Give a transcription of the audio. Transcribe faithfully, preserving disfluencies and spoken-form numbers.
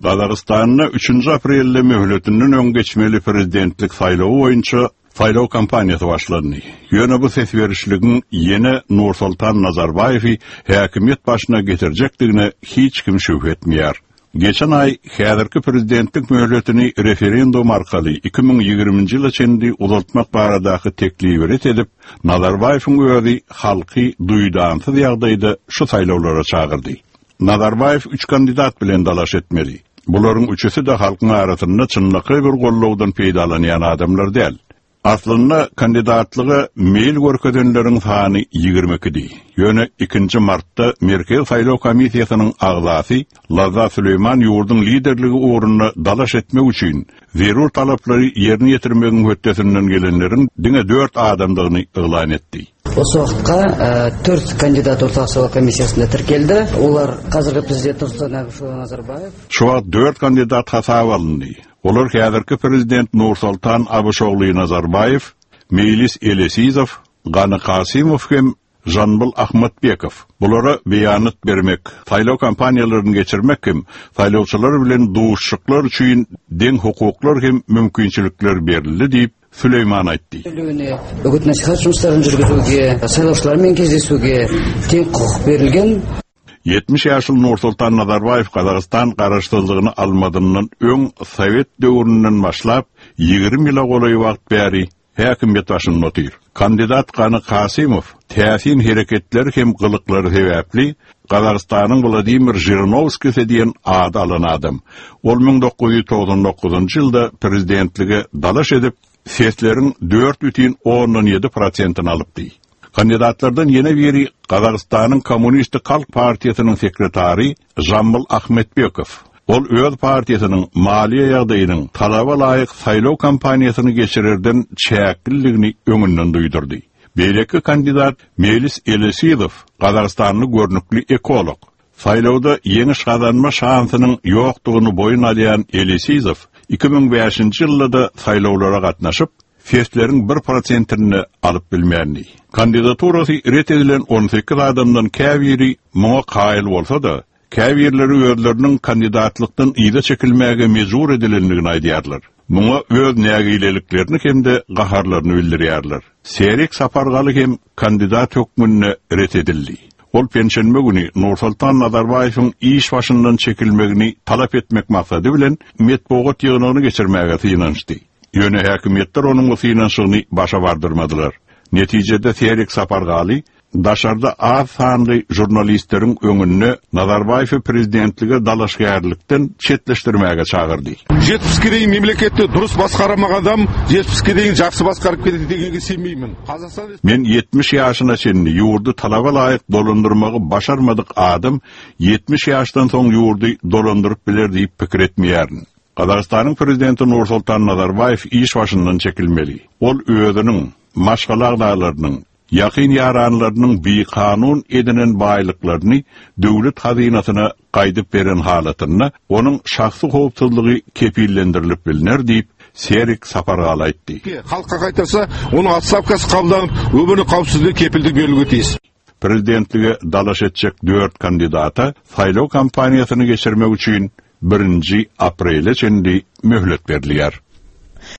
Gazagystanda üçünji aprelde möhletinden öň geçmeli prezidentlik saýlawy boýunça saýlaw kampaniýasy başlandy. Ýöne bu ses berişligiň ýene Nursultan Nazarbaýewi häkimiýet başyna getirjekdigine hiç kim şübhe etmeýär. Geçen aý häzirki prezidentlik möhletini referendum arkaly iki müň ýigriminji ýyla çenli uzaltmak baradaky teklibi ret edip, Nazarbaýewiň özi halky duýdansyz ýagdaýda şu saýlawlara çagyrdy. Nazarbaýew üç kandidat bilen dalaş etmeli. Bularyň üçüsi de halkyň arasynda çynlakaý bir gollawdan peýdalanýan adamlar däl. Aslynda kandidatlyga meýil görkezenleriň sany ýigrimi ikidi. Ýöne ikinji martda Merkez Saýlaw Komissiýasynyň agzasy Lazza Süleýman ýurduň liderligi ugrunda dalaş etmek üçin zerur talaplary ýerine ýetirmegiň hötdesinden gelenleriň diňe dört adamdygyny yglan etdi. Осы уақытқа, э, төрт kandidat Орталық сайлау комиссиясында тіркелді. Олар қазіргі президент Нұрсұлтан Әбішұлы Назарбаев. Şu wagt dört kandidat hasaba alyndy. Olar häzirki prezident Nursultan Abuşogly Nazarbaýew, Mejlis Elesizow, Gany Kasimow hem Janbul Ahmetbekow. Bulara beýanat bermek, saýlaw kampaniýalaryny geçirmek hem saýlawçylar bilen duşuşyklar üçin deň hukuklar hem mümkinçilikler berildi diýip Süleýman aýtdy. Үгіт насихат жұмыстарын жүргізуге, сайлаушылармен кездесуге тең құқық берілген. Ýetmiş ýaşly Nursultan Nazarbaýew Gazagystan garaşsyzlygyny almadyndan öň Sowet döwründen başlap ýigrimi ýyla golaý wagt bäri häkimiýet başynda otyr. Kandidat Gany Kasimow täsin hereketler hem gylyklary sebäpli Gazagystanyň Wladimir Žirinovskiý diýen ady alan adam. Ol müň dokuz ýüz togsan dokuzynjy ýylda prezidentlige dalaş edip sesleriň dört bütin ondan ýedi prosentini alypdy. Kandidatlardan ýene biri Gazagystanyň Kommunistik Halk Partiýasynyň sekretary Žambyl Ahmetbekow. Ol öz partiýasynyň maliýe ýagdaýynyň talaba laýyk saýlaw kampaniýasyny geçirerden çäkliligini öňünden duýdurdy. Beýleki kandidat Melis Elesizow, Gazagystanly görnükli ekolog. Saýlawda ýeňiş gazanma şansynyň ýokdugyny boýun alýan Elesizow iki müň bäşinji ýylda saýlawlara gatnaşyp, sesleriň bir prosentini alyp bilmändi. Kandidaturasy ret edilen on sekiz adamdan käbiri muňa kaýyl bolsa-da, käbirleri özleriniň kandidatlykdan yza çekilmäge mejbur edilendigini aýdýarlar. Muňa öz nägileliklerini hem-de gaharlaryny bildirýärler. Serik Sapargaly hem kandidat hökmünde ret edildi. Ol penşenbe güni Nursultan Nazarbaýewiň iş başyndan çekilmegini talap etmek maksady bilen metbugat ýygnagyny geçirmäge synanyşdy. Ýöne häkimiýetler onuň bu synanyşygyny başa bardyrmadylar. Netijede Serik Sapargaly daşarda az sanly jurnalistleriň öňünde Nazarbaýewi prezidentlige dalaşgärlikden çetleşdirmäge çagyrdy. Жетпіске дейін мемлекетті дұрыс басқарамаған адам жетпіске дейін жақсы басқарып кетеді дегенге сенбеймін. Қазақстан Men ýetmiş ýaşyna çenli ýurdy talaba laýyk dolandyrmagy başarmadyk adam ýetmiş ýaşdan soň ýurdy dolandyryp biler diýip pikir etmeýärin. Gazagystanyň prezidenti Nursultan Nazarbaýew iş başyndan çekilmeli. Ol özüniň, maşgala agzalarynyň, ýakyn ýaranlarynyň bikanun edinen baýlyklaryny döwlet hazynasyna gaýdyp beren halatynda onuň şahsy howpsuzlygy kepillendirilip biliner diýip Serik Sapargaly aýtdy. Халыққа қайтарса, оның отставкасы қабылданып, өмірінің қауіпсіздігі кепілдік берілуге тиіс. Prezidentlige dalaş etjek dört kandidata saýlaw kampaniýasyny geçirmek üçin birinji aprele çenli möhlet berilýär.